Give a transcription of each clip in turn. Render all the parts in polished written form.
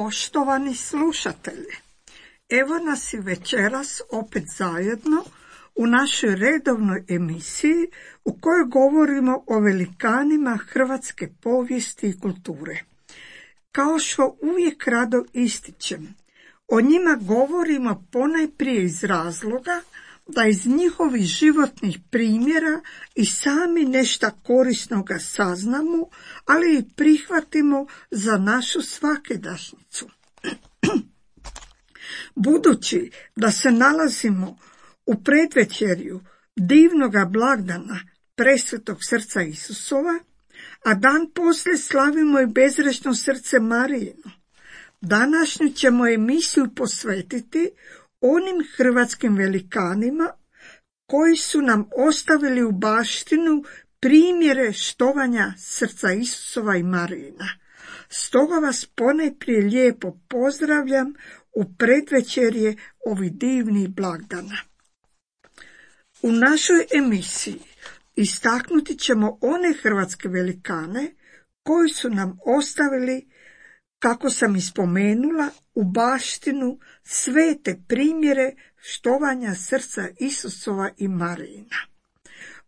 Poštovani slušatelji, evo nas i večeras opet zajedno u našoj redovnoj emisiji u kojoj govorimo o velikanima hrvatske povijesti i kulture. Kao što uvijek rado ističem, o njima govorimo ponajprije iz razloga da iz njihovih životnih primjera i sami nešto korisnoga saznamo, ali i prihvatimo za našu svakidašnjicu. Budući da se nalazimo u predvečerju divnoga blagdana Presvetog srca Isusova, a dan poslije slavimo i bezgrešno srce Marijino, današnju ćemo emisiju posvetiti onim hrvatskim velikanima koji su nam ostavili u baštinu primjere štovanja srca Isusova i Marijina. Stoga vas ponajprije lijepo pozdravljam u predvečerje ovih divnih blagdana. U našoj emisiji istaknuti ćemo one hrvatske velikane koji su nam ostavili, kako sam ispomenula, u baštinu svete primjere štovanja srca Isusova i Marijina.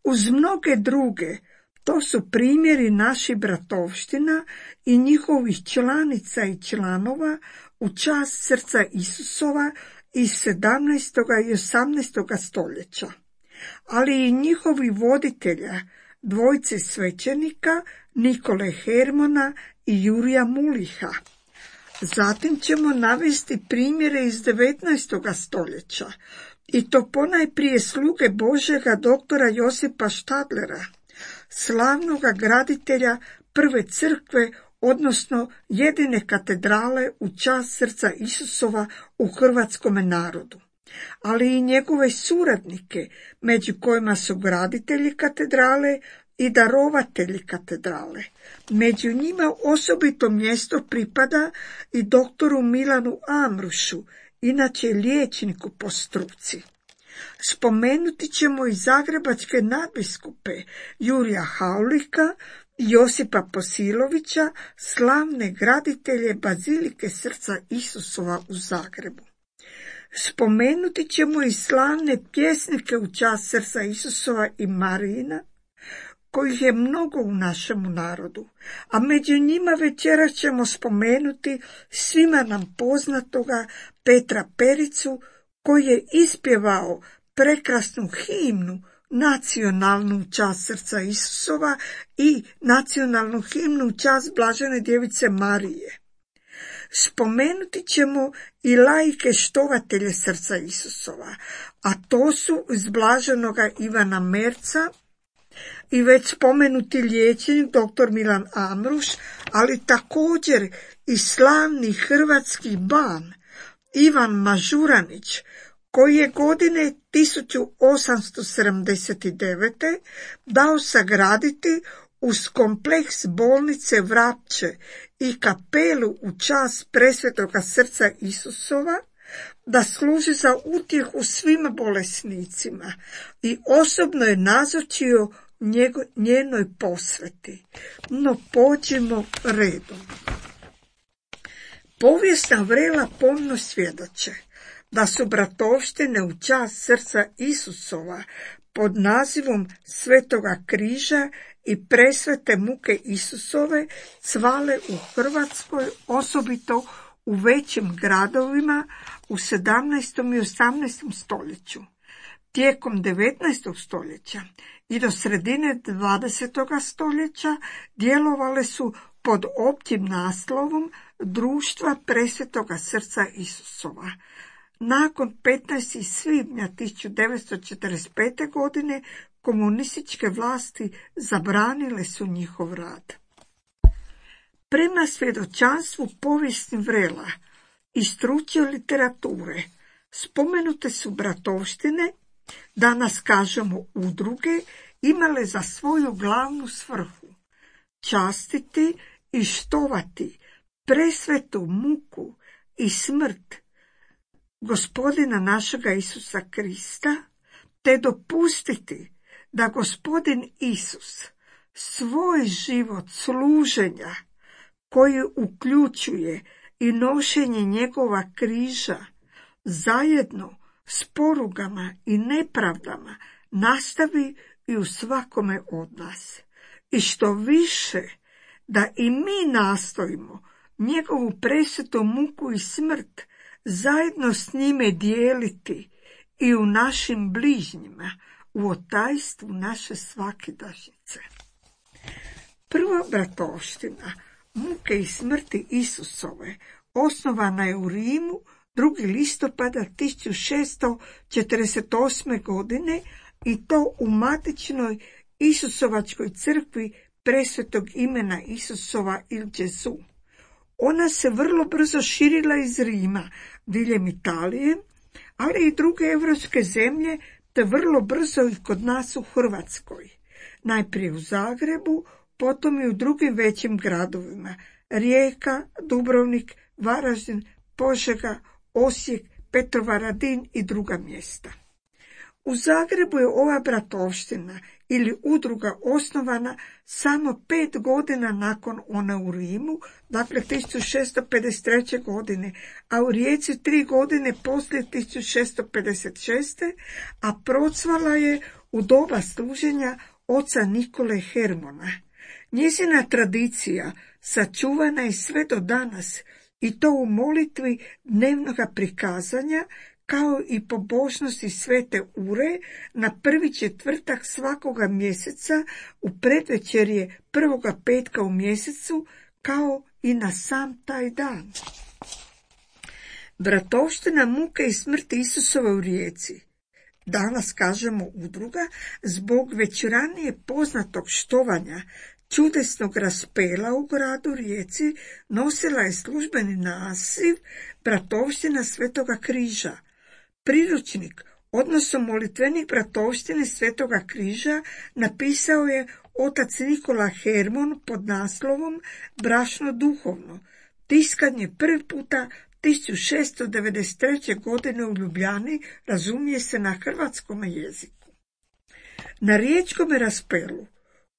Uz mnoge druge, to su primjeri naših bratovština i njihovih članica i članova u čast srca Isusova iz 17. i 18. stoljeća, ali i njihovi voditelja, dvojice svećenika Nikole Hermona i Jurija Muliha. Zatim ćemo navesti primjere iz 19. stoljeća, i to ponajprije sluge Božjega doktora Josipa Štadlera, slavnoga graditelja prve crkve, odnosno jedine katedrale u čast srca Isusova u hrvatskome narodu, ali i njegove suradnike, među kojima su graditelji katedrale i darovatelji katedrale. Među njima osobito mjesto pripada i doktoru Milanu Amrušu, inače liječniku po struci. Spomenuti ćemo i zagrebačke nadbiskupe Jurija Haulika i Josipa Posilovića, slavne graditelje Bazilike srca Isusova u Zagrebu. Spomenuti ćemo i slavne pjesnike u čast srca Isusova i Marijina, kojih je mnogo u našemu narodu, a među njima večeras ćemo spomenuti svima nam poznatoga Petra Pericu, koji je ispjevao prekrasnu himnu, nacionalnu u čast srca Isusova i nacionalnu himnu u čast Blažene djevice Marije. Spomenuti ćemo i laike štovatelje srca Isusova, a to su iz Blaženoga Ivana Merca i već spomenuti liječnik dr. Milan Amruš, ali također i slavni hrvatski ban Ivan Mažuranić, koji je godine 1879. dao sagraditi uz kompleks bolnice Vrapče i kapelu u čast Presvetoga srca Isusova, da služi za utjehu svim bolesnicima i osobno je nazočio njenoj posveti. No pođimo redom. Povijesna vrela pomno svjedoče da su bratovštine u čast srca Isusova pod nazivom Svetoga križa i presvete muke Isusove cvale u Hrvatskoj, osobito u većim gradovima u 17. i 18. stoljeću. Tijekom 19. stoljeća i do sredine 20. stoljeća djelovale su pod općim naslovom Društva Presvetoga srca Isusova. Nakon 15. svibnja 1945. godine komunističke vlasti zabranile su njihov rad. Prema svjedočanstvu povijesnih vrela i stručne literature spomenute su bratovštine, danas kažemo udruge, imale za svoju glavnu svrhu častiti i štovati presvetu muku i smrt Gospodina našega Isusa Krista, te dopustiti da Gospodin Isus svoj život služenja, koji uključuje i nošenje njegova križa zajedno s porugama i nepravdama nastavi i u svakome od nas. I što više da i mi nastojimo njegovu presvetu muku i smrt zajedno s njime dijeliti i u našim bližnjima, u otajstvu naše svakidašnjice. Prva bratovština muke i smrti Isusove osnovana je u Rimu 2. listopada 1648. godine i to u matičnoj Isusovačkoj crkvi presvetog imena Isusova il Gesù. Ona se vrlo brzo širila iz Rima diljem Italije, ali i druge europske zemlje, te vrlo brzo i kod nas u Hrvatskoj. Najprije u Zagrebu, potom i u drugim većim gradovima: Rijeka, Dubrovnik, Varaždin, Požega, Osijek, Petrovaradin i druga mjesta. U Zagrebu je ova bratovština ili udruga osnovana samo 5 godina nakon one u Rimu, dakle 1653. godine, a u Rijeci 3 godine poslije 1656. a procvala je u doba služenja oca Nikole Hermona. Njezina tradicija sačuvana je sve do danas i to u molitvi dnevnoga prikazanja, kao i pobožnosti svete ure na prvi četvrtak svakoga mjeseca u predvečerje prvoga petka u mjesecu, kao i na sam taj dan. Bratovština muke i smrti Isusove u Rijeci, danas kažemo udruga, zbog već ranije poznatog štovanja čudesnog raspela u gradu Rijeci, nosila je službeni naziv Bratovština Svetoga križa. Priručnik, odnosno molitvenik bratovštine Svetoga križa, napisao je otac Nikola Hermon pod naslovom Brašno duhovno. Tiskan je prvi puta 1693. godine u Ljubljani, razumije se na hrvatskom jeziku. Na riječkom raspelu,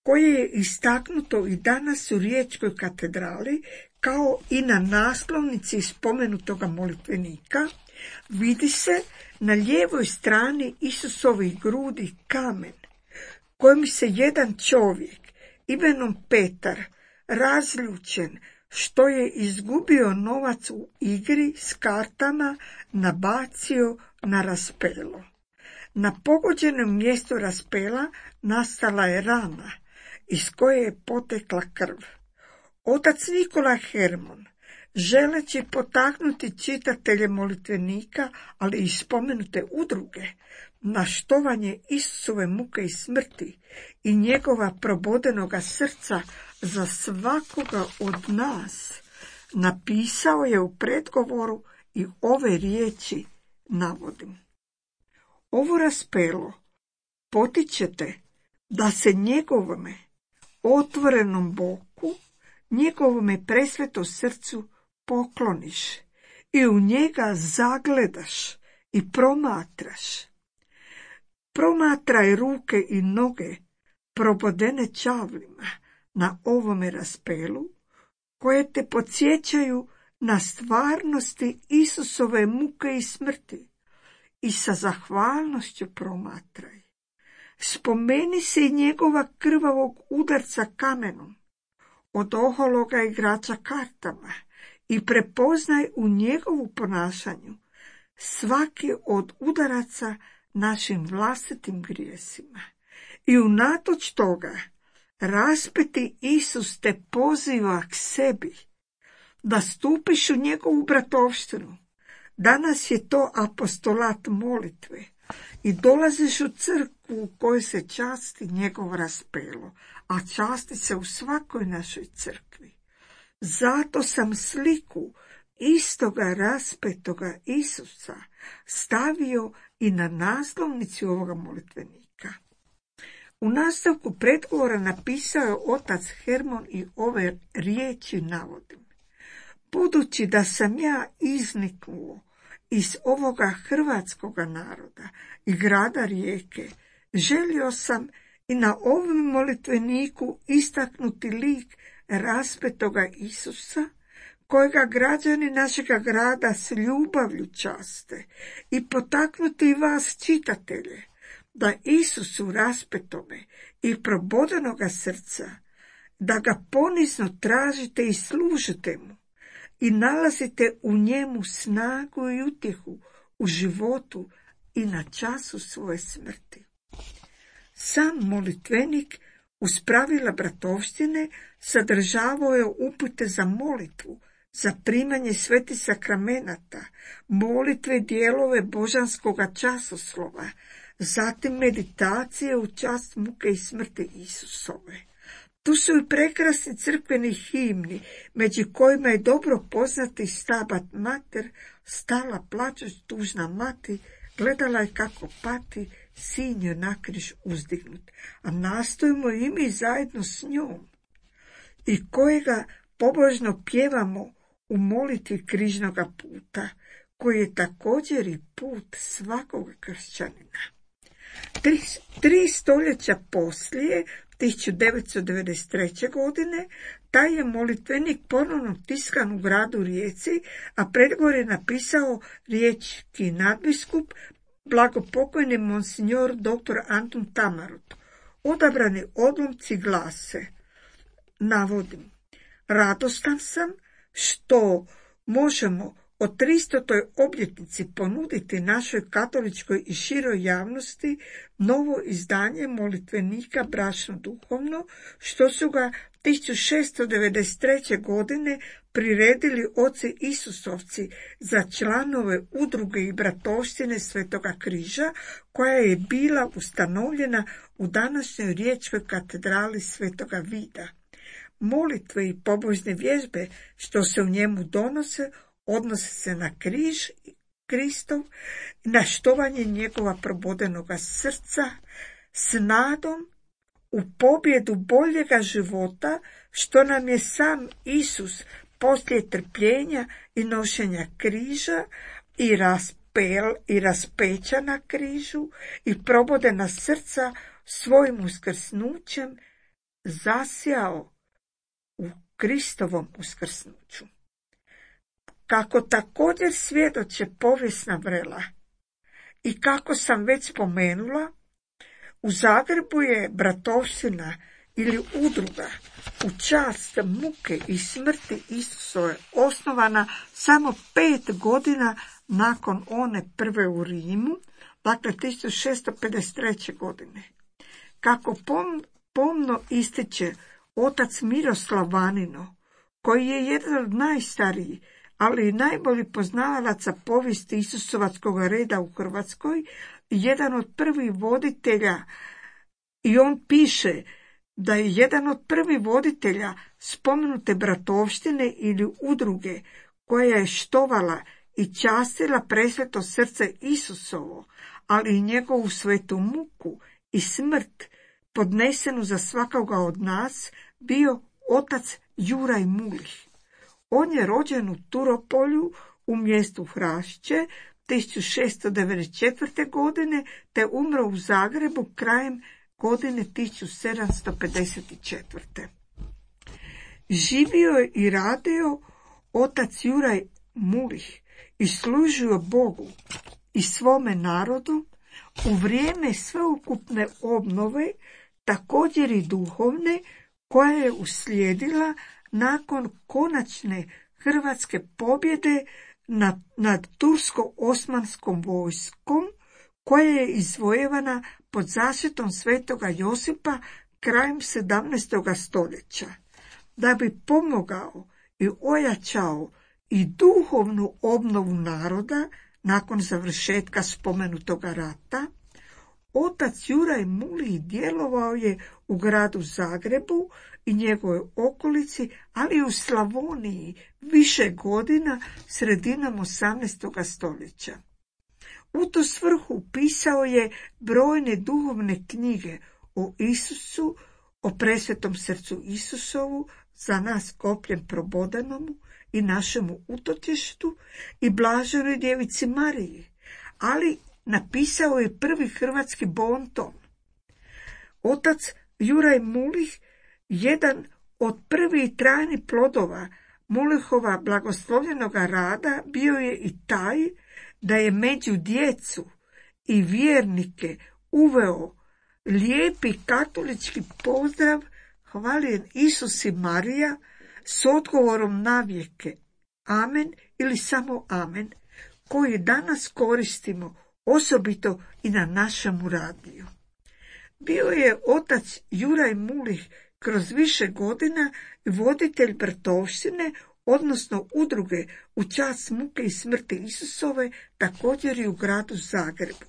koje je istaknuto i danas u Riječkoj katedrali, kao i na naslovnici spomenutoga molitvenika, vidi se na lijevoj strani Isusovih grudi kamen, kojim se jedan čovjek imenom Petar, razljučen što je izgubio novac u igri s kartama, nabacio na raspelo. Na pogođenom mjestu raspela nastala je rana iz koje je potekla krv. Otac Nikola Hermon, želeći potaknuti čitatelje molitvenika, ali i spomenute udruge, na štovanje Isusove muke i smrti i njegova probodenoga srca za svakoga od nas, napisao je u predgovoru i ove riječi navodim. Ovo raspelo potičete da se njegovome otvorenom boku, njegovome presvetom srcu pokloniš i u njega zagledaš i promatraš. Promatraj ruke i noge probodene čavlima na ovome raspelu, koje te podsjećaju na stvarnosti Isusove muke i smrti, i sa zahvalnošću promatraj. Spomeni se i njegova krvavog udarca kamenom od ohologa igrača kartama i prepoznaj u njegovu ponašanju svaki od udaraca našim vlastitim grijesima. I unatoč toga raspeti Isus te poziva k sebi, da stupiš u njegovu bratovštinu. Danas je to apostolat molitve i dolaziš u crkvu u kojoj se časti njegov raspelo, a časti se u svakoj našoj crkvi. Zato sam sliku istoga raspetoga Isusa stavio i na naslovnici ovoga molitvenika. U nastavku predgovora napisao je otac Hermon i ove riječi navodim. Budući da sam ja izniknuo iz ovoga hrvatskoga naroda i grada Rijeke, želio sam i na ovom molitveniku istaknuti lik raspetoga Isusa, kojega građani našega grada s ljubavlju časte i potaknuti vas čitatelje, da Isusu raspetome i probodenoga srca, da ga ponizno tražite i služite mu i nalazite u njemu snagu i utjehu u životu i na času svoje smrti. Sam molitvenik uz pravila bratovštine sadržavao je upute za molitvu, za primanje svetih sakramenata, molitve, dijelove božanskoga časoslova, zatim meditacije u čast muke i smrti Isusove. Tu su i prekrasni crkveni himni, među kojima je dobro poznati Stabat Mater, stala plačuć tužna mati, gledala je kako pati, sin joj na križ uzdignut, a nastojimo i mi zajedno s njom, i kojega pobožno pjevamo u molitvi križnoga puta, koji je također i put svakog kršćanina. Tri stoljeća poslije, 1993. godine, taj je molitvenik ponovno tiskan u gradu Rijeci, a predgovor je napisao riječki nadbiskup, blagopokojni monsignor dr. Antun Tamarot. Odabrani odlomci glase, navodim, radostan sam što možemo o 300. obljetnici ponuditi našoj katoličkoj i široj javnosti novo izdanje molitvenika bračno duhovno, što su ga 1693. godine priredili oci Isusovci za članove udruge i bratovštine Svetoga križa, koja je bila ustanovljena u današnjoj riječkoj katedrali Svetoga Vida. Molitve i pobožne vježbe što se u njemu donose se na križ Kristov, na štovanje njegova probodenoga srca, s nadom u pobjedu boljega života, što nam je sam Isus poslije trpljenja i nošenja križa i raspeća na križu i probodena srca svojim uskrsnućem zasjao u Kristovom uskrsnuću. Kako također svjedoče povijesna vrela i kako sam već spomenula, u Zagrebu je bratovština ili udruga u čast muke i smrti Isusove osnovana samo 5 godina nakon one prve u Rimu, dakle 1653. godine. Kako pomno ističe otac Miroslav Vanino, koji je jedan od najstarijih, ali i najbolji poznavalaca povijesti Isusovačkog reda u Hrvatskoj, jedan od prvih voditelja, i on piše da je jedan od prvih voditelja spomenute bratovštine ili udruge koja je štovala i častila presveto srce Isusovo, ali i njegovu svetu muku i smrt podnesenu za svakoga od nas, bio otac Juraj Mulih. On je rođen u Turopolju u mjestu Hrašće 1694. godine te umro u Zagrebu krajem godine 1754. Živio je i radio otac Juraj Mulih i služio Bogu i svome narodu u vrijeme sveukupne obnove, također i duhovne, koja je uslijedila nakon konačne hrvatske pobjede nad tursko-osmanskom vojskom, koja je izvojevana pod zaštitom svetoga Josipa krajem 17. stoljeća. Da bi pomogao i ojačao i duhovnu obnovu naroda nakon završetka spomenutoga rata, otac Juraj Mulih djelovao je u gradu Zagrebu i njegovoj okolici, ali i u Slavoniji više godina sredinom 18. stoljeća. U tu svrhu pisao je brojne duhovne knjige o Isusu, o presvetom srcu Isusovu, za nas kopljem probodanomu i našemu utočištu, i blaženoj djevici Mariji, ali napisao je prvi hrvatski bonton. Otac Juraj Mulih, jedan od prvih trajnih plodova Mulehova blagoslovljenoga rada bio je i taj da je među djecu i vjernike uveo lijepi katolički pozdrav Hvaljen Isus i Marija s odgovorom navijeke amen ili samo amen, koji danas koristimo osobito i na našemu radiju. Bio je otac Juraj Mulih kroz više godina voditelj bratovštine, odnosno udruge u čast muke i smrti Isusove, također i u gradu Zagrebu.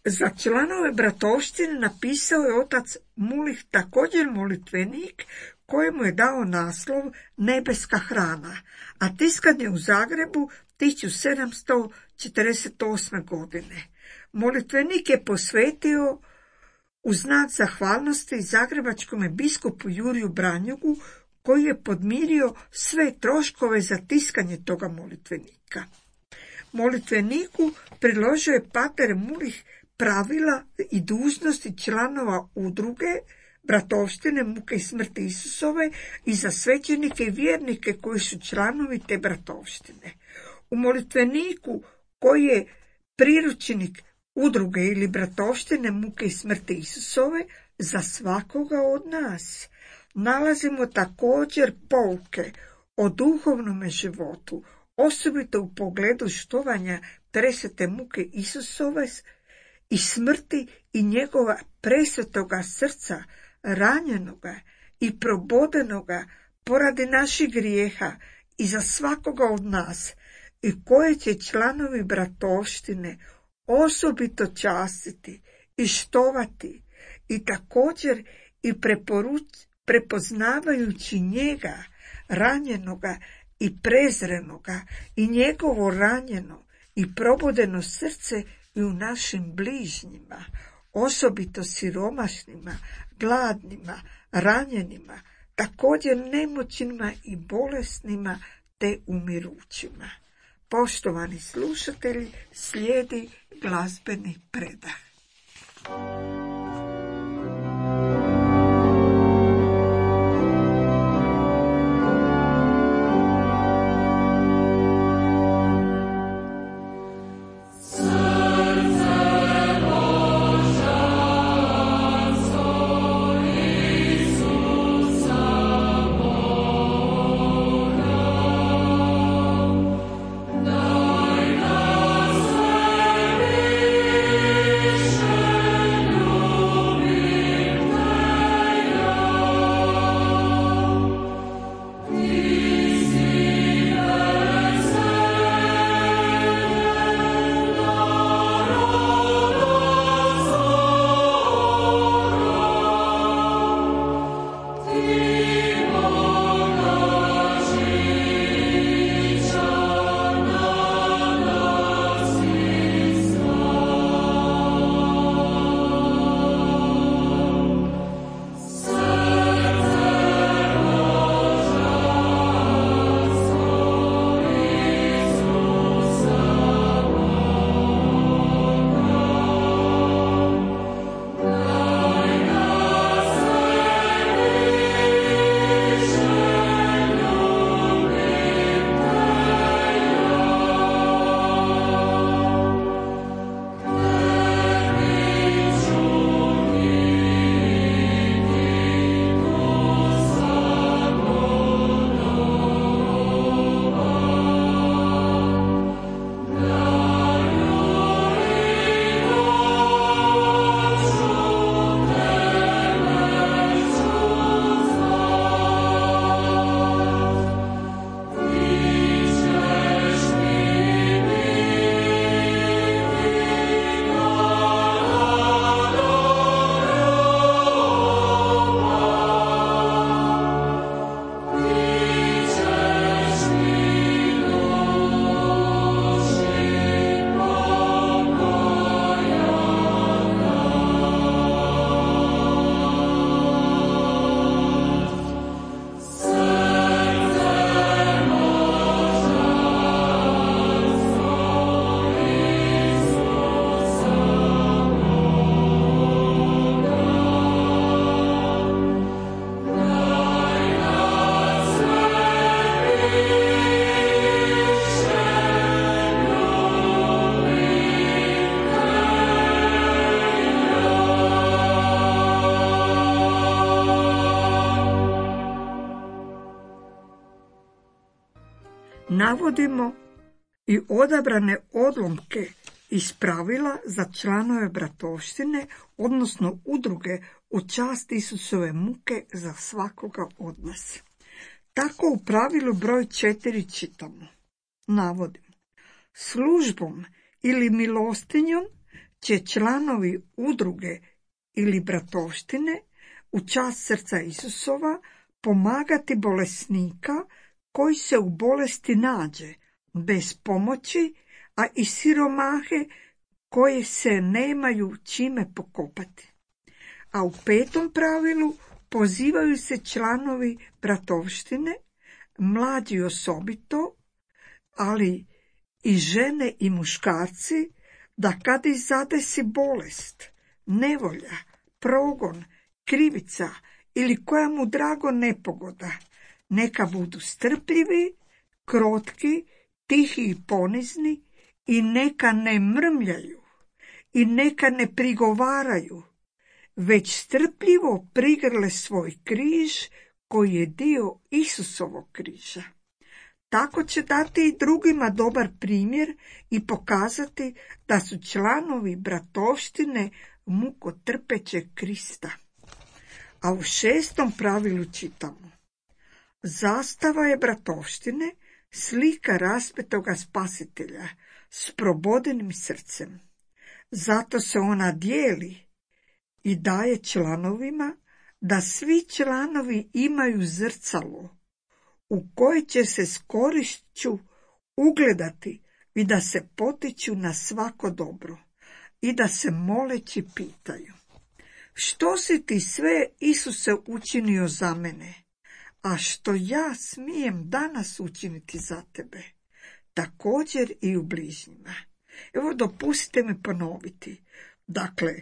Za članove bratovštine napisao je otac Mulih također molitvenik kojemu je dao naslov Nebeska hrana, a tiskan je u Zagrebu 1748. godine. Molitvenik je posvetio u znak zahvalnosti zagrebačkome biskupu Juriju Branjugu, koji je podmirio sve troškove za tiskanje toga molitvenika. Molitveniku priložio je pater Mulih pravila i dužnosti članova udruge bratovštine muke i smrti Isusove i za svećenike i vjernike koji su članovi te bratovštine. U molitveniku, koji je priručnik udruge ili bratovštine muke i smrti Isusove, za svakoga od nas nalazimo također pouke o duhovnome životu, osobito u pogledu štovanja presvete muke Isusove i smrti i njegova presvetoga srca, ranjenoga i probodenoga poradi naših grijeha i za svakoga od nas, i koje će članovi bratovštine osobito častiti i štovati, i također i prepoznavajući njega, ranjenoga i prezrenoga, i njegovo ranjeno i probodeno srce i u našim bližnjima, osobito siromašnima, gladnima, ranjenima, također nemoćnima i bolesnima te umirućima. Poštovani slušatelji, slijedi glazbeni predah. No navodimo i odabrane odlomke iz pravila za članove bratovštine, odnosno udruge u čast Isusove muke za svakoga od nas. Tako u pravilu broj 4 čitamo. Navodim. Službom ili milostinjom će članovi udruge ili bratovštine u čast srca Isusova pomagati bolesnika koji se u bolesti nađe, bez pomoći, a i siromahe koje se nemaju čime pokopati. A u 5. pravilu pozivaju se članovi bratovštine, mlađi osobito, ali i žene i muškarci, da kad ih zadesi bolest, nevolja, progon, krivica ili koja mu drago nepogoda, neka budu strpljivi, krotki, tihi i ponizni i neka ne mrmljaju i neka ne prigovaraju, već strpljivo prigrle svoj križ koji je dio Isusovog križa. Tako će dati i drugima dobar primjer i pokazati da su članovi bratovštine mukotrpećeg Krista. A u 6. pravilu čitamo. Zastava je bratovštine slika raspetoga spasitelja s probodenim srcem. Zato se ona dijeli i daje članovima da svi članovi imaju zrcalo u koje će se s korišću ugledati i da se potiču na svako dobro i da se moleći pitaju: što si ti sve, Isuse, učinio za mene, a što ja smijem danas učiniti za tebe, također i u bližnjima. Evo, dopustite mi ponoviti. Dakle,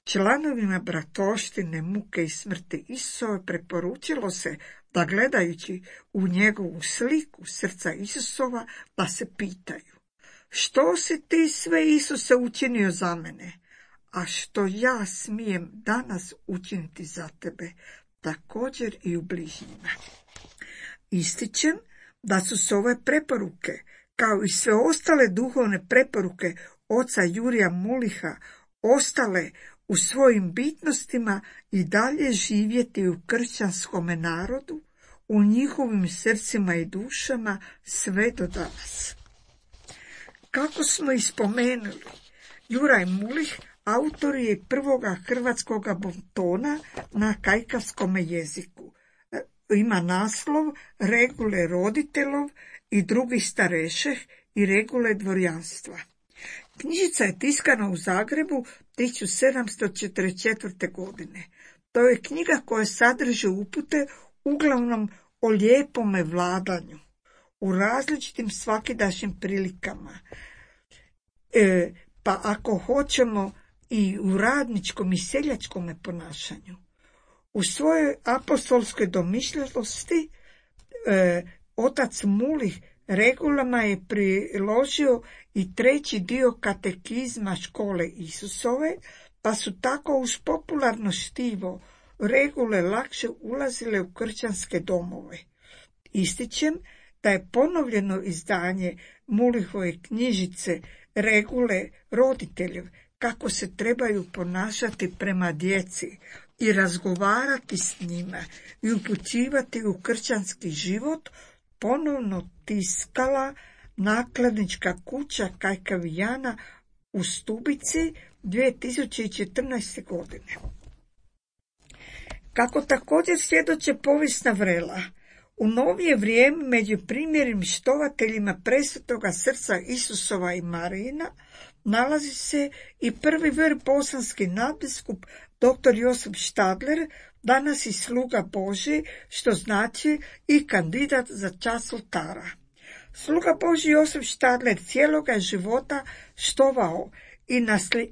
članovima bratovštine muke i smrti Isusove preporučilo se da gledajući u njegovu sliku srca Isusova da se pitaju: što si ti sve, Isuse, učinio za mene, a što ja smijem danas učiniti za tebe, također i u bližnjima. Ističem da su se ove preporuke, kao i sve ostale duhovne preporuke oca Jurija Muliha, ostale u svojim bitnostima i dalje živjeti u kršćanskome narodu, u njihovim srcima i dušama sve do danas. Kako smo i spomenuli, Juraj Mulih autor je prvoga hrvatskoga bontona na kajkavskome jeziku. Ima naslov Regule roditelov i drugi starešeh i regule dvorjanstva. Knjižica je tiskana u Zagrebu 1744. godine. To je knjiga koja sadrži upute uglavnom o lijepome vladanju, u različitim svakidašnjim prilikama, pa ako hoćemo i u radničkom i seljačkom ponašanju. U svojoj apostolskoj domišljatosti otac Mulih regulama je priložio i 3. dio katekizma škole Isusove, pa su tako uz popularno štivo regule lakše ulazile u kršćanske domove. Ističem da je ponovljeno izdanje Mulihove knjižice Regule roditeljev, kako se trebaju ponašati prema djeci i razgovarati s njima i upućivati u kršćanski život, ponovno tiskala nakladnička kuća Kajkavijana u Stubici 2014. godine. Kako također svjedoče povijesna vrela, u novije vrijeme među primjernim štovateljima presvetoga srca Isusova i Marijina nalazi se i prvi bosanski nadbiskup dr. Josip Štadler, danas i sluga Božji, što znači i kandidat za čast oltara. Sluga Božji Josip Štadler cijeloga života štovao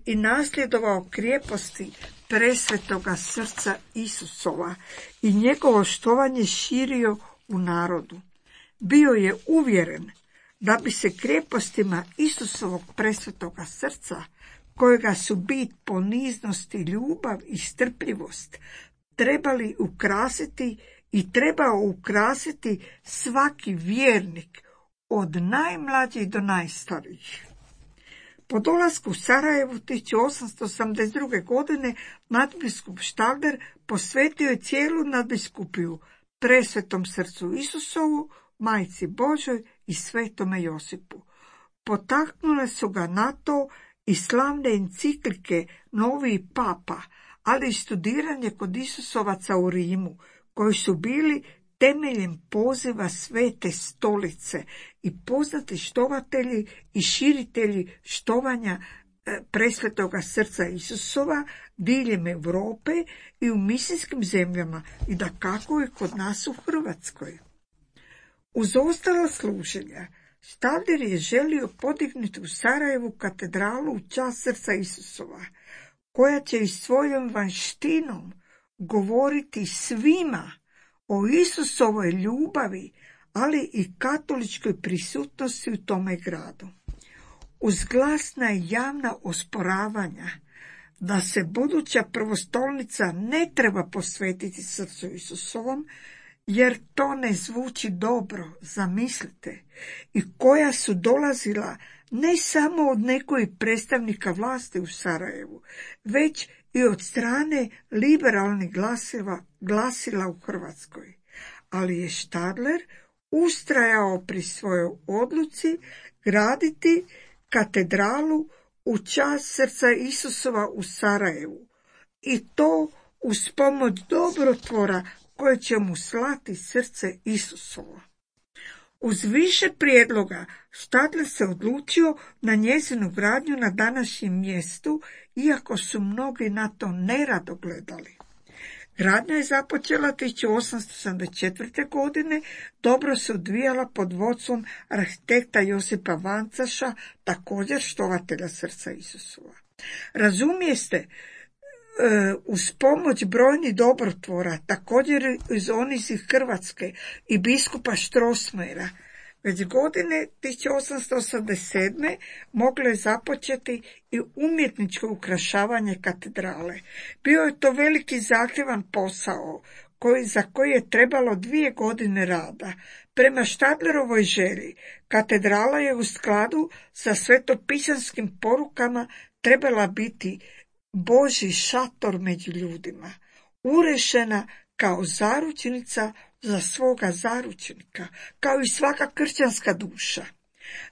i nasljedovao krijeposti presvetoga srca Isusova i njegovo štovanje širio u narodu. Bio je uvjeren da bi se krijepostima Isusovog presvetoga srca, kojega su bit poniznost i ljubav i strpljivost, trebali ukrasiti i trebao ukrasiti svaki vjernik od najmlađih do najstarijih. Po dolasku u Sarajevu 1882. godine nadbiskup Štadler posvetio je cijelu nadbiskupiju Presvetom srcu Isusovu, Majci Božoj i Svetome Josipu. Potaknule su ga na to i slavne enciklike Novi Papa, ali i studiranje kod Isusovaca u Rimu, koji su bili temeljem poziva Svete stolice i poznati štovatelji i širitelji štovanja Presvetoga srca Isusova diljem Europe i u misijskim zemljama i dakako i kod nas u Hrvatskoj. Uz ostala služenja, Štadler je želio podignuti u Sarajevu katedralu u čast srca Isusova, koja će i svojom vanštinom govoriti svima o Isusovoj ljubavi, ali i katoličkoj prisutnosti u tome gradu. Uz glasna i javna osporavanja da se buduća prvostolnica ne treba posvetiti srcu Isusovom, jer to ne zvuči dobro, zamislite, i koja su dolazila ne samo od nekojih predstavnika vlasti u Sarajevu, već i od strane liberalnih glasila u Hrvatskoj. Ali je Štadler ustrajao pri svojoj odluci graditi katedralu u čast srca Isusova u Sarajevu, i to uz pomoć dobrotvora koje će mu slati srce Isusovo. Uz više prijedloga Štadler se odlučio na njezinu gradnju na današnjem mjestu, iako su mnogi na to nerado gledali. Gradnja je započela 1874. godine, dobro se odvijala pod vodstvom arhitekta Josipa Vancaša, također štovatelja srca Isusova. Razumijeste, uz pomoć brojnih dobrotvora, također iz onih iz Hrvatske i biskupa Strossmayera, već godine 1887. moglo je započeti i umjetničko ukrašavanje katedrale. Bio je to veliki zahtjevan posao, za koji je trebalo 2 godine rada. Prema Štadlerovoj želji, katedrala je u skladu sa svetopisanskim porukama trebala biti Božji šator među ljudima, urešena kao zaručnica za svoga zaručnika, kao i svaka kršćanska duša.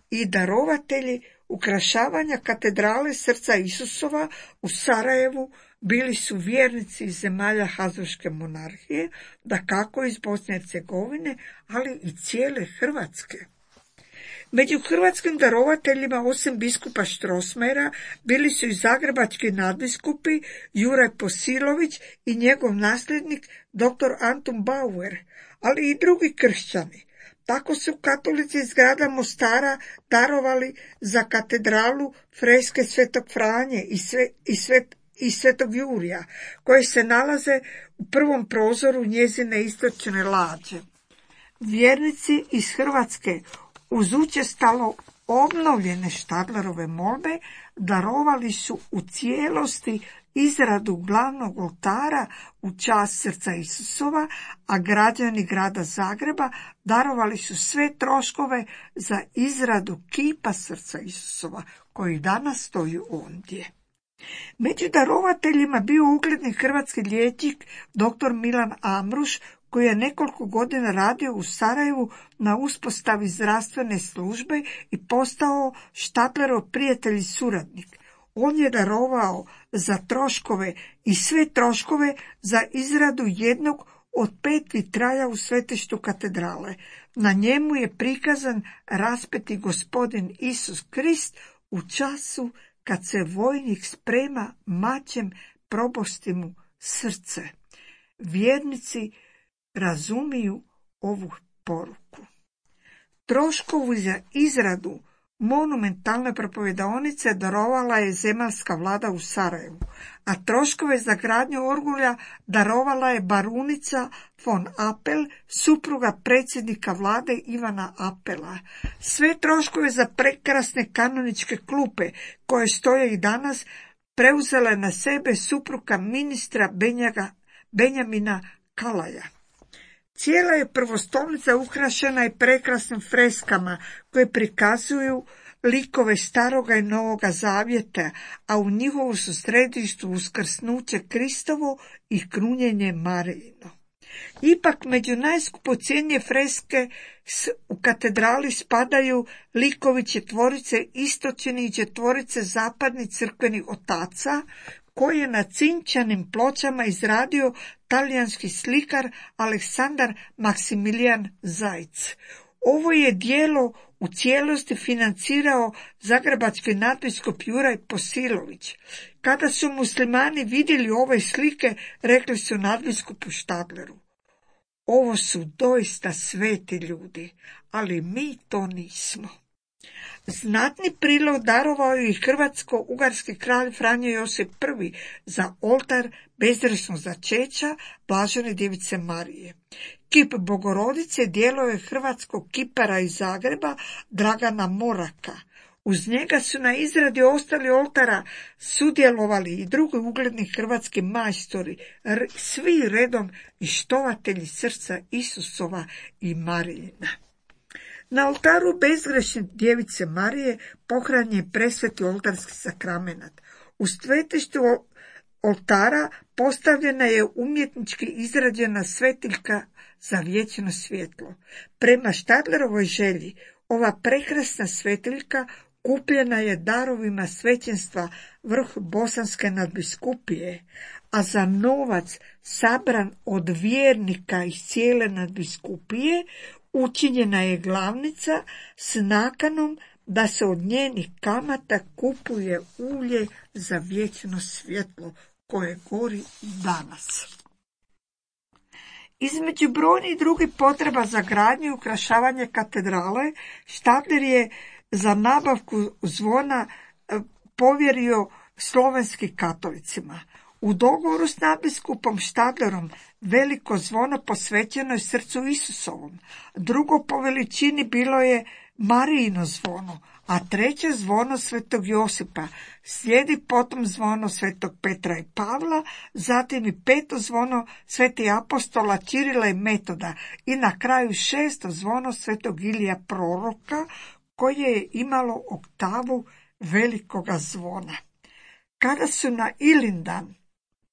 I darovatelji ukrašavanja katedrale srca Isusova u Sarajevu bili su vjernici iz zemalja Habsburške monarhije, dakako iz Bosne i Hercegovine, ali i cijele Hrvatske. Među hrvatskim darovateljima, osim biskupa Strossmayera, bili su i zagrebački nadbiskupi Juraj Posilović i njegov nasljednik dr. Antun Bauer, ali i drugi kršćani. Tako su katolici iz grada Mostara darovali za katedralu freske Svetog Franje i Svetog Jurija, koje se nalaze u prvom prozoru njezine istočne lađe. Vjernici iz Hrvatske uz učestalo obnovljene Štadlerove molbe darovali su u cijelosti izradu glavnog oltara u čast srca Isusova, a građani grada Zagreba darovali su sve troškove za izradu kipa srca Isusova, koji danas stoji ondje. Među darovateljima bio ugledni hrvatski liječnik dr. Milan Amruš, koji je nekoliko godina radio u Sarajevu na uspostavi zdravstvene službe i postao Štadlerov prijatelj i suradnik. On je darovao za troškove i sve troškove za izradu jednog od 5 vitraja u svetištu katedrale. Na njemu je prikazan raspeti Gospodin Isus Krist u času kad se vojnik sprema mačem probosti mu srce. Vjernici razumiju ovu poruku. Troškovu za izradu monumentalne propovedaonice darovala je zemaljska vlada u Sarajevu, a troškove za gradnju orgulja darovala je barunica von Apel, supruga predsjednika vlade Ivana Apela. Sve troškove za prekrasne kanoničke klupe, koje stoje i danas, preuzela je na sebe supruga ministra Benjamina Kalaja. Cijela je prvostolnica ukrašena i prekrasnim freskama koje prikazuju likove Staroga i Novoga Zavjeta, a u njihovu su središtu uskrsnuće Kristovo i krunjenje Marijino. Ipak među najskupocjenije freske u katedrali spadaju likovi četvorice istočni i četvorice zapadnih crkvenih otaca, koje je na cinčanim pločama izradio talijanski slikar Aleksandar Maksimilijan Zajc. Ovo je djelo u cijelosti financirao zagrebački nadbiskup Juraj Posilović. Kada su muslimani vidjeli ove slike, rekli su nadbiskupu Štadleru: ovo su doista sveti ljudi, ali mi to nismo. Znatni prilog darovao je i hrvatsko-ugarski kralj Franjo Josip I za oltar bezgrešnog začeća Blažene djevice Marije. Kip Bogorodice djelo je hrvatskog kipara iz Zagreba Dragana Moraka. Uz njega su na izradi ostali oltara sudjelovali i drugi ugledni hrvatski majstori, svi redom i štovatelji srca Isusova i Marijina. Na oltaru bezgrešne djevice Marije pohranjen je presveti oltarski sakramenat. U svetištu oltara postavljena je umjetnički izrađena svetiljka za vječno svjetlo. Prema Štadlerovoj želji, ova prekrasna svetiljka kupljena je darovima svećenstva vrh Bosanske nadbiskupije, a za novac sabran od vjernika iz cijele nadbiskupije učinjena je glavnica s nakanom da se od njenih kamata kupuje ulje za vječno svjetlo koje gori i danas. Između brojnih drugih potreba za gradnju i ukrašavanje katedrale, Štadler je za nabavku zvona povjerio slovenskim katolicima. U dogovoru s nadbiskupom Štadlerom veliko zvono posvećeno je srcu Isusovom, drugo po veličini bilo je Marijino zvono, a treće zvono svetog Josipa, slijedi potom zvono svetog Petra i Pavla, zatim i peto zvono svetih apostola Čirila i Metoda i na kraju šesto zvono svetog Ilija proroka, koje je imalo oktavu velikoga zvona. Kada su na Ilindan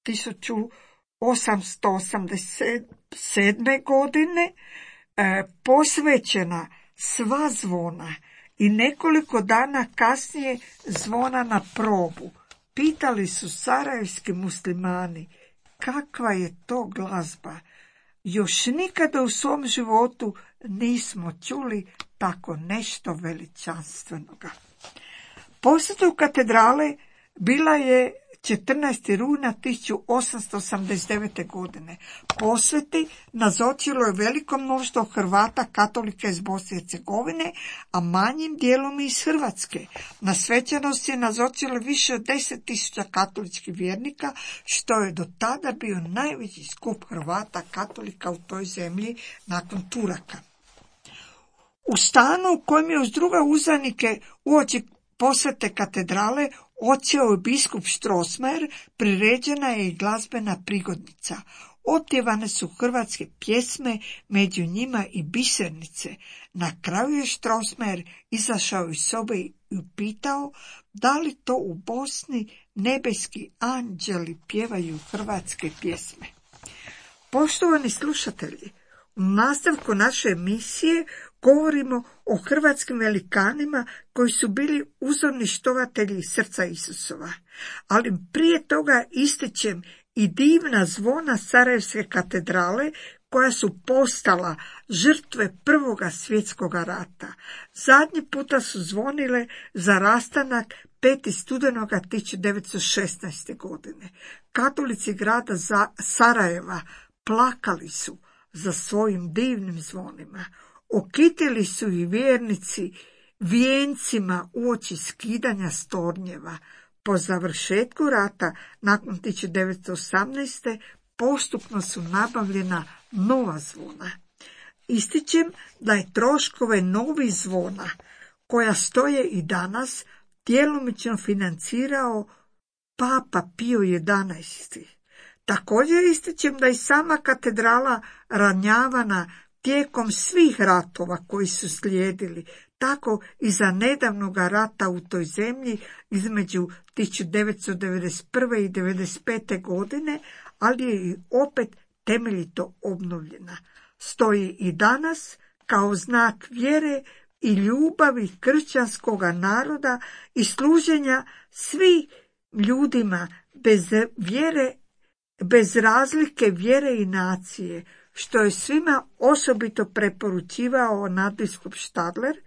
1887. godine posvećena sva zvona i nekoliko dana kasnije zvona na probu, pitali su sarajevski muslimani kakva je to glazba. Još nikada u svom životu nismo čuli tako nešto veličanstvenoga. Posjeta katedrale bila je 14. rujna 1889. godine. Posjeti nazočilo je veliko mnoštvo Hrvata katolika iz Bosne i Hercegovine, a manjim dijelom iz Hrvatske. Na svečanosti je nazočilo više od 10.000 katoličkih vjernika, što je do tada bio najveći skup Hrvata katolika u toj zemlji nakon Turaka. U stanu u kojem je uz druge uzvanike uoči posvete katedrale odsjeo je biskup Strossmayer, priređena je i glazbena prigodnica. Otpjevane su hrvatske pjesme, među njima i bisernice. Na kraju je Strossmayer izašao iz sobe i upitao da li to u Bosni nebeski anđeli pjevaju hrvatske pjesme. Poštovani slušatelji, u nastavku naše emisije govorimo o hrvatskim velikanima koji su bili uzorni štovatelji srca Isusova, ali prije toga ističem i divna zvona Sarajevske katedrale koja su postala žrtve Prvoga svjetskog rata. Zadnji puta su zvonile za rastanak 5. studenoga 1916. godine. Katolici grada Sarajeva plakali su za svojim divnim zvonima. Okitili su i vjernici vijencima uoči skidanja stornjeva. Po završetku rata, nakon 1918. postupno su nabavljena nova zvona. Ističem da je troškove novih zvona, koja stoje i danas, djelomično financirao Papa Pio XI. Također ističem da i sama katedrala ranjavana tijekom svih ratova koji su slijedili, tako i za nedavnog rata u toj zemlji između 1991. i 1995. godine, ali je i opet temeljito obnovljena. Stoji i danas kao znak vjere i ljubavi kršćanskoga naroda i služenja svih ljudima bez razlike vjere i nacije, što je svima osobito preporučivao nadbiskup Štadler,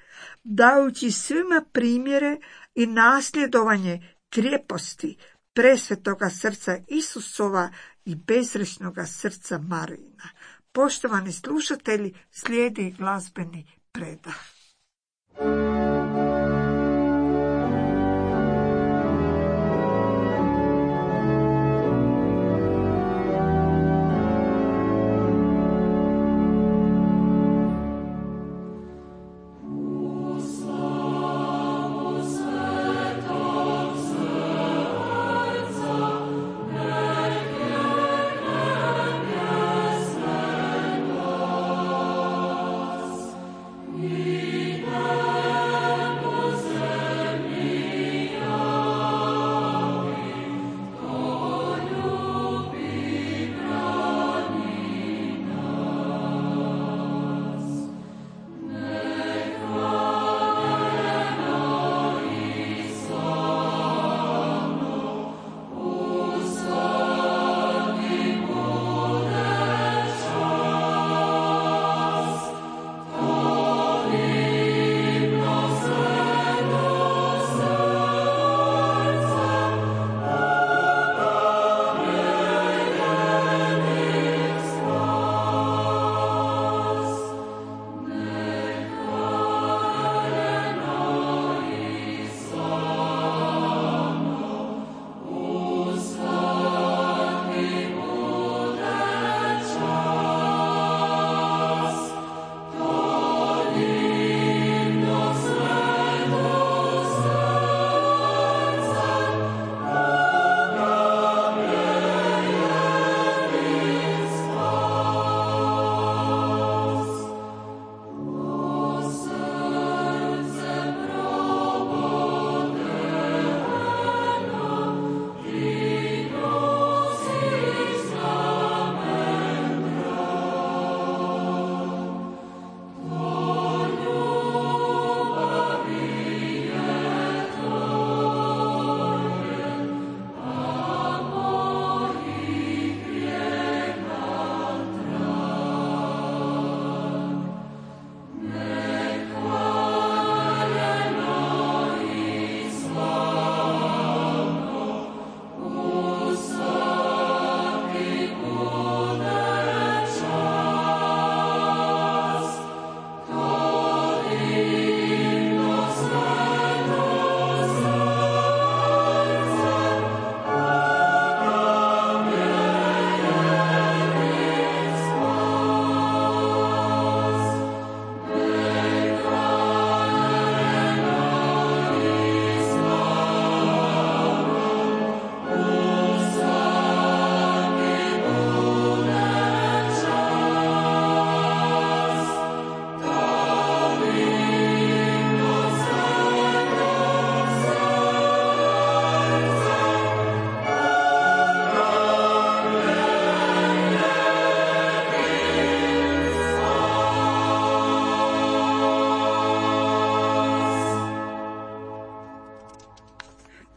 dajući svima primjere i nasljedovanje krijeposti presvetoga srca Isusova i bezgrešnoga srca Marijina. Poštovani slušatelji, slijedi glazbeni predah.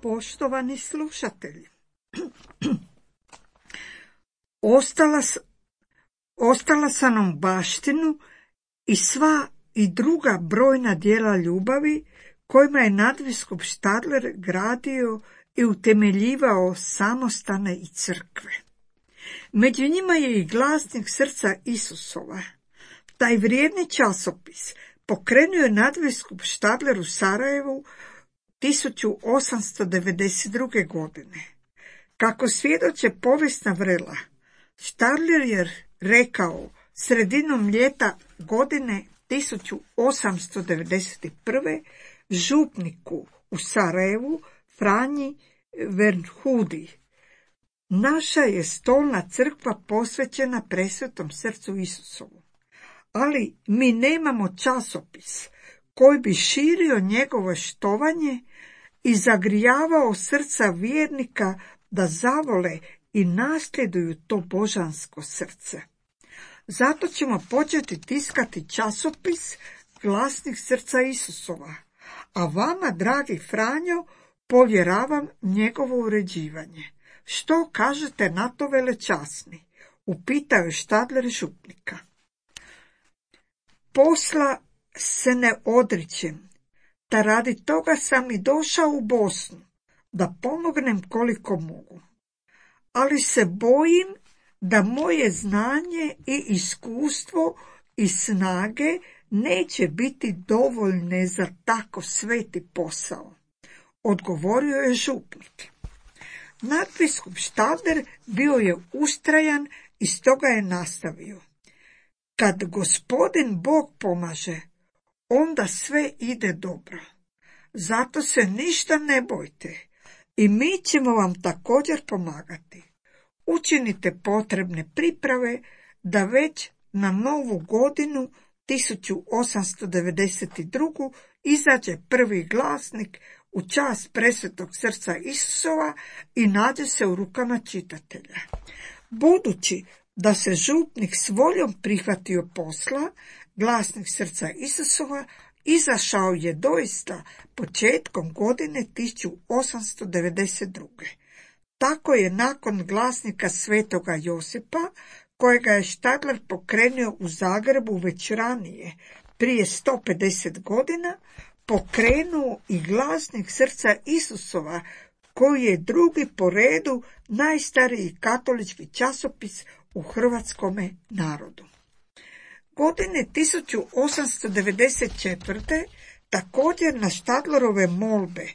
Poštovani slušatelji, ostala sam nam baštinu i sva i druga brojna djela ljubavi kojima je nadbiskup Štadler gradio i utemeljivao samostane i crkve. Među njima je i glasnik srca Isusova. Taj vrijedni časopis pokrenuo je nadbiskup Štadler u Sarajevu 1892. godine. Kako svjedoče povijesna vrela, Štadler je rekao sredinom ljeta godine 1891. župniku u Sarajevu Franji Verhudi: Naša je stolna crkva posvećena presvetom srcu Isusovu, ali mi nemamo časopis koji bi širio njegovo štovanje i zagrijavao srca vjernika da zavole i nasljeduju to božansko srce. Zato ćemo početi tiskati časopis Glasnik srca Isusova, a vama, dragi Franjo, povjeravam njegovo uređivanje. Što kažete na to, velečasni? Upitao je Štadler župnika. Posla se ne odričem, ta radi toga sam i došao u Bosnu, da pomognem koliko mogu. Ali se bojim da moje znanje i iskustvo i snage neće biti dovoljne za tako sveti posao, odgovorio je župnik. Nadbiskup Štadler bio je ustrajan i stoga je nastavio. Kad Gospodin Bog pomaže, onda sve ide dobro. Zato se ništa ne bojte i mi ćemo vam također pomagati. Učinite potrebne priprave da već na novu godinu 1892. izađe prvi glasnik u čast presvetog srca Isusova i nađe se u rukama čitatelja. Budući da se župnik s voljom prihvatio posla, Glasnik srca Isusova izašao je doista početkom godine 1892. Tako je nakon glasnika svetoga Josipa, kojega je Štadler pokrenuo u Zagrebu već ranije, prije 150 godina, pokrenuo i Glasnik srca Isusova, koji je drugi po redu najstariji katolički časopis u hrvatskome narodu. Godine 1894. također na Štadlerove molbe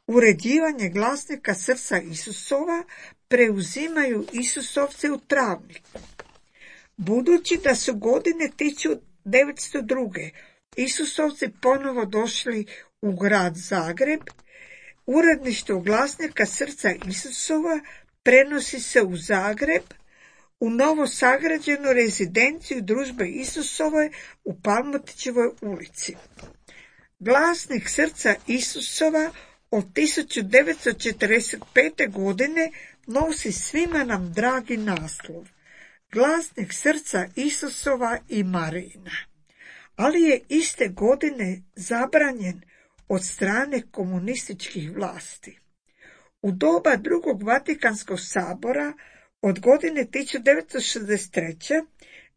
uređivanje Glasnika srca Isusova preuzimaju Isusovci u Travniku. Budući da su godine 1902. Isusovci ponovo došli u grad Zagreb, uredništvo Glasnika srca Isusova prenosi se u Zagreb, u novo sagrađenu rezidenciju Družbe Isusove u Palmotićevoj ulici. Glasnik srca Isusova od 1945. godine nosi svima nam dragi naslov Glasnik srca Isusova i Marijina, ali je iste godine zabranjen od strane komunističkih vlasti. U doba drugog Vatikanskog sabora od godine 1963.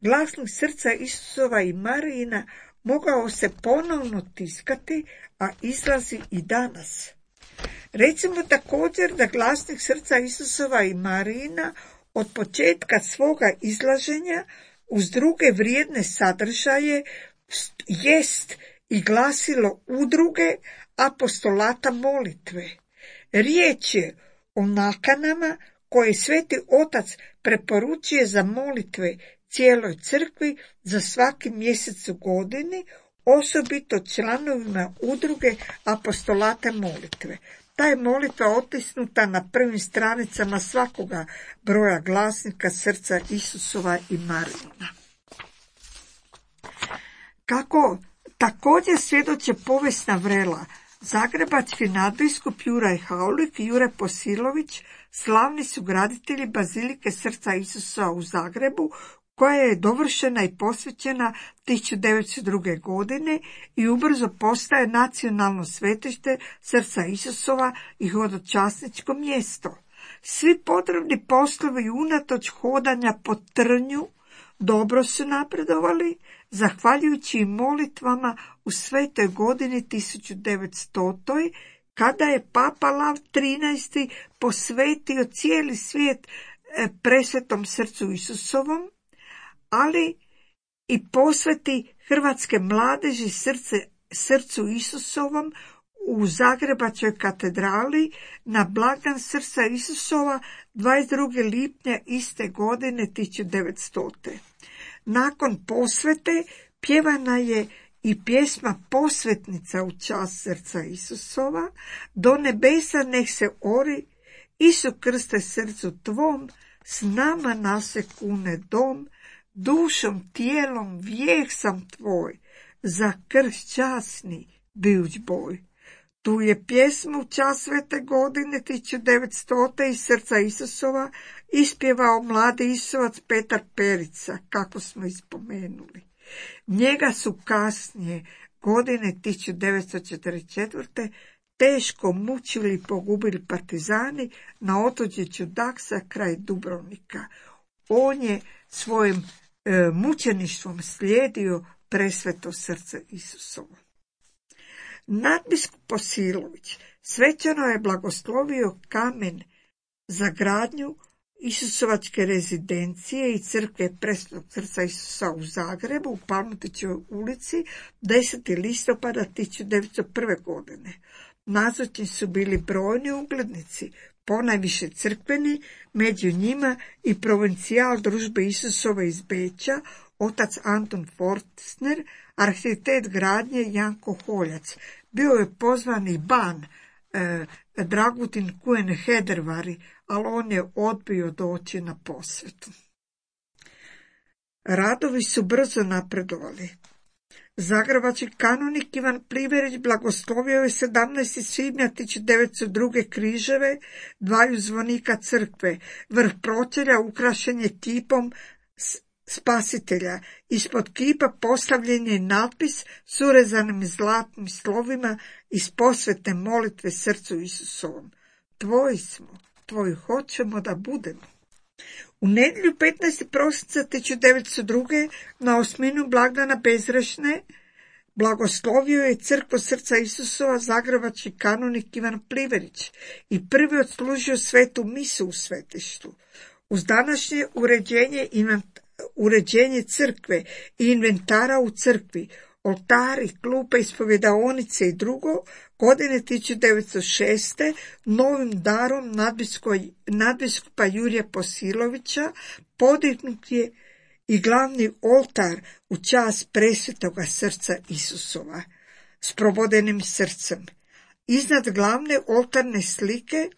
Glasnik srca Isusova i Marijina mogao se ponovno tiskati, a izlazi i danas. Recimo također da Glasnik srca Isusova i Marijina od početka svoga izlaženja uz druge vrijedne sadržaje jest i glasilo udruge apostolata molitve. Riječ je o nakanama koje Sveti Otac preporučuje za molitve cijeloj crkvi za svaki mjesec u godini, osobito članovima udruge apostolata molitve. Ta je molitva otisnuta na prvim stranicama svakoga broja Glasnika srca Isusova i Marijina. Kako također svjedoče povijesna vrela, zagrebački nadbiskup Juraj Haulik i Jure Posilović slavni su graditelji Bazilike srca Isusa u Zagrebu, koja je dovršena i posvećena 1902. godine i ubrzo postaje nacionalno svetište srca Isusova i hodočasničko mjesto. Svi potrebni poslovi unatoč hodanja po trnju dobro su napredovali, zahvaljujući i molitvama u svetoj godini 1900. kada je Papa Lav XIII posvetio cijeli svijet presvetom srcu Isusovom, ali i posveti hrvatske mladeži srcu Isusovom u Zagrebačkoj katedrali na blagdan srca Isusova 22. lipnja iste godine 1900. Nakon posvete pjevana je i pjesma Posvetnica u čast srca Isusova, do nebesa nek se ori Isu Krste, srcu tvom, s nama nase kune dom, dušom, tijelom, vijek sam tvoj, za krst časni bijuć boj. Tu je pjesmu čas svete godine 1900. iz Srca Isusova ispjevao mladi Isusovac Petar Perica, kako smo ispomenuli. Njega su kasnije, godine 1944. teško mučili i pogubili partizani na otočiću Daksa kraj Dubrovnika. On je svojim mučeništvom slijedio presveto srce Isusovo. Nadbiskup Posilović svečano je blagoslovio kamen za gradnju Isusovačke rezidencije i crkve presvetog srca Isusa u Zagrebu, u Palmotićevoj ulici, 10. listopada 1901. godine. Nazočni su bili brojni uglednici, ponajviše crkveni, među njima i provincijal Družbe Isusove iz Beča, otac Anton Forstner, arhitekt gradnje Janko Holjac. Bio je pozvan i ban Dragutin Kuen Hedervari, ali on je odbio doći na posvetu. Radovi su brzo napredovali. Zagrebački kanonik Ivan Pliverić blagoslovio je 17. svibnja 1902. križeve dvaju zvonika crkve. Vrh pročelja ukrašen je kipom Spasitelja. Ispod kipa postavljen je natpis s urezanim zlatnim slovima iz posvetne molitve srcu Isusovom. Tvoji smo, tvoji hoćemo da budemo. U nedjelju 15. prosinca 1902. na osminu blagdana Bezrešne blagoslovio je crkvu srca Isusova zagrebački kanonik Ivan Pliverić i prvi odslužio svetu misu u svetištu. Uz današnje uređenje crkve i inventara u crkvi, oltari, klupe, ispovjedaonice i drugo, godine 1906. novim darom nadbiskupa Jurija Posilovića podignut je i glavni oltar u čast presvetoga srca Isusova s probodenim srcem. Iznad glavne oltarne slike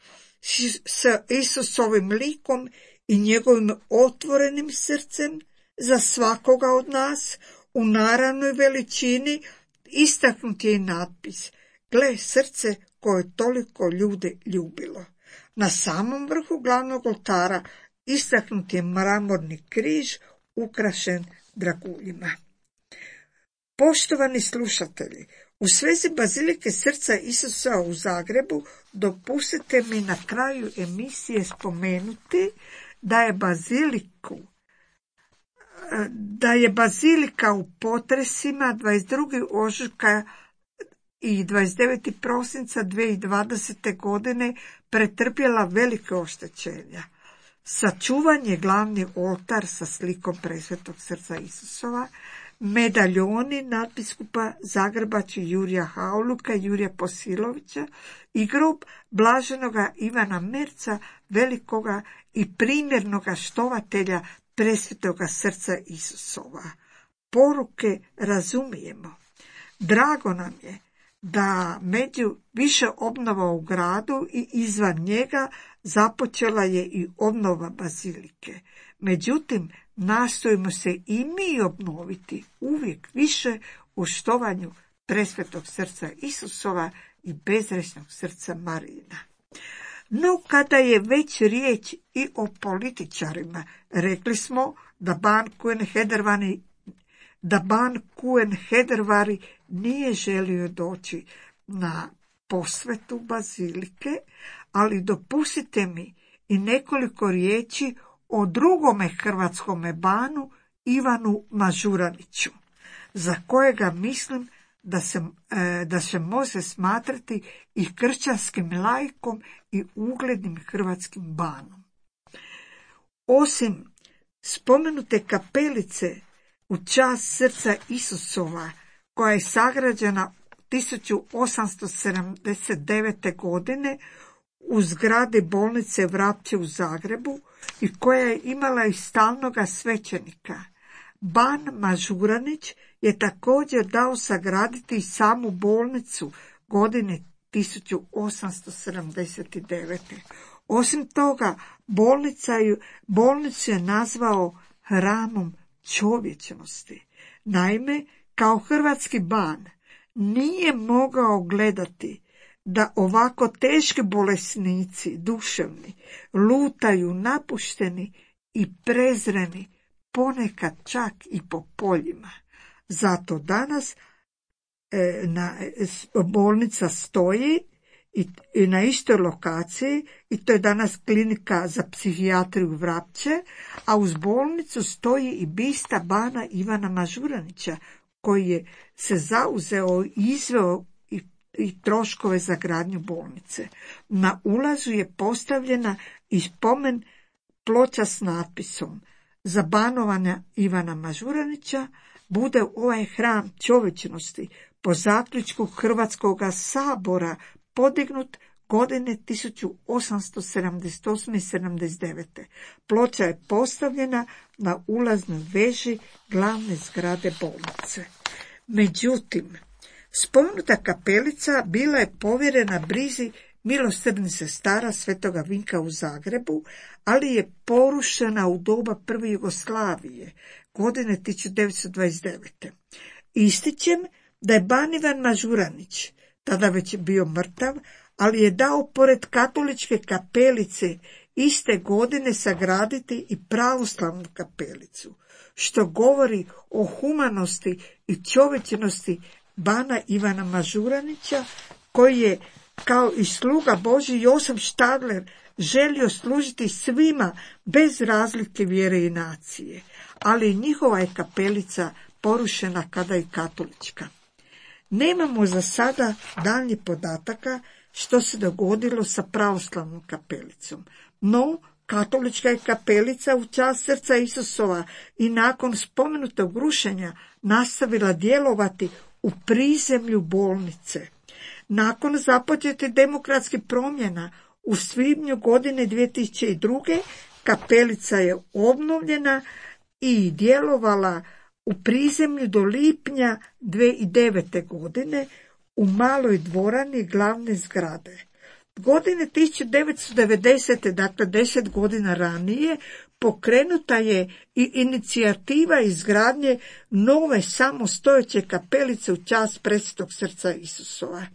s Isusovim likom i njegovim otvorenim srcem za svakoga od nas u naravnoj veličini istaknut je i natpis: gle, srce koje toliko ljude ljubilo. Na samom vrhu glavnog oltara istaknut je mramorni križ ukrašen draguljima. Poštovani slušatelji, u svezi bazilike srca Isusa u Zagrebu dopustite mi na kraju emisije spomenuti da je bazilika u potresima 22. ožujka i 29. prosinca 2020. godine pretrpjela velike oštećenja. Sačuvan je glavni oltar sa slikom presvetog srca Isusova, medaljoni nadbiskupa Zagrebačkog Jurija Hauluka i Jurija Posilovića i grob blaženoga Ivana Merca, velikoga i primjernoga štovatelja presvetoga srca Isusova. Poruke razumijemo. Drago nam je da među više obnova u gradu i izvan njega započela je i obnova bazilike. Međutim, nastojimo se i mi obnoviti uvijek više u štovanju presvetog srca Isusova i bezgrešnog srca Marijina. No, kada je već riječ i o političarima, rekli smo da ban Kuen Hedervari nije želio doći na posvetu bazilike, ali dopustite mi i nekoliko riječi o drugome hrvatskome banu, Ivanu Mažuraniću, za kojega mislim da se može smatrati i kršćanskim laikom i uglednim hrvatskim banom. Osim spomenute kapelice u čast srca Isusova, koja je sagrađena 1879. godine u zgradi bolnice Vrapče u Zagrebu i koja je imala i stalnoga svećenika, ban Mažuranić je također dao sagraditi samu bolnicu godine 1879. Osim toga, bolnicu je nazvao hramom čovječnosti. Naime, kao hrvatski ban nije mogao gledati da ovako teški bolesnici, duševni, lutaju napušteni i prezreni, ponekad čak i po poljima. Zato danas bolnica stoji i na istoj lokaciji, i to je danas klinika za psihijatriju Vrapče, a uz bolnicu stoji i bista bana Ivana Mažuranića, koji je se zauzeo i izveo i troškove za gradnju bolnice. Na ulazu je postavljena i spomen ploča s natpisom: za banovanja Ivana Mažuranića bude ovaj hram čovječnosti po zaključku Hrvatskog sabora podignut godine 1878. i 79. Ploča je postavljena na ulaznoj veži glavne zgrade bolnice. Međutim, spomenuta kapelica bila je povjerena brizi milosrdnih sestara Svetoga Vinka u Zagrebu, ali je porušena u doba prve Jugoslavije, godine 1929. Ističem da je ban Ivan Mažuranić tada već bio mrtav, ali je dao pored katoličke kapelice iste godine sagraditi i pravoslavnu kapelicu, što govori o humanosti i čovječnosti bana Ivana Mažuranića, koji je kao i sluga Božji Josip Štadler želio služiti svima bez razlike vjere i nacije, ali njihova je kapelica porušena kada je katolička. Nemamo za sada daljnjih podataka što se dogodilo sa pravoslavnom kapelicom, no katolička je kapelica u čast srca Isusova i nakon spomenutog rušenja nastavila djelovati u prizemlju bolnice. Nakon započetih demokratskih promjena u svibnju godine 2002. kapelica je obnovljena i djelovala u prizemlju do lipnja 2009. godine u maloj dvorani glavne zgrade. Godine 1990. dakle 10 godina ranije, pokrenuta je i inicijativa izgradnje nove samostojeće kapelice u čast Presvetog srca Isusova.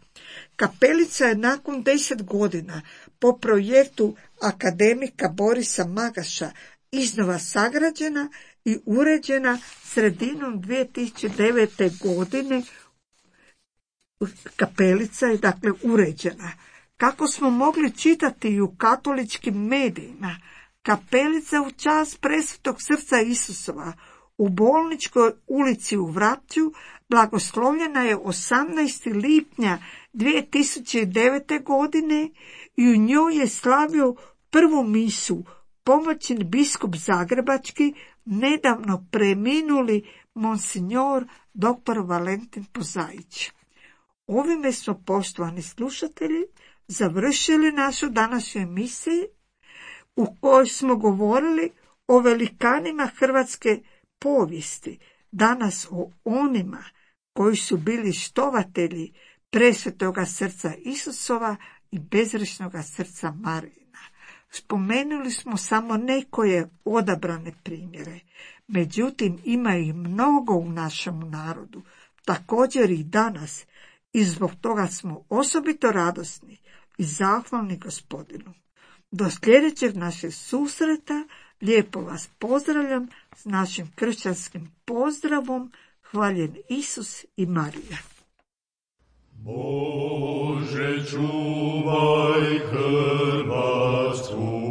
Kapelica je nakon 10 godina po projektu akademika Borisa Magaša iznova sagrađena i uređena sredinom 2009. godine. Kapelica je dakle uređena. Kako smo mogli čitati i u katoličkim medijima, kapelica u čast Presvetog srca Isusova u Bolničkoj ulici u Vrapču blagoslovljena je 18. lipnja 2009. godine i u njoj je slavio prvu misu pomoćni biskup zagrebački, nedavno preminuli monsignor dr. Valentin Pozaić. Ovime smo, poštovani slušatelji, završili našu današnju emisiju u kojoj smo govorili o velikanima hrvatske povijesti, danas o onima koji su bili štovatelji Presvetoga srca Isusova i bezgrešnoga srca Marijina. Spomenuli smo samo nekoje odabrane primjere, međutim ima ih mnogo u našem narodu, također i danas, i zbog toga smo osobito radosni i zahvalni Gospodinu. Do sljedećeg našeg susreta lijepo vas pozdravljam s našim kršćanskim pozdravom. Hvaljen Isus i Marija. Bože, čuvaj Hrvatsku.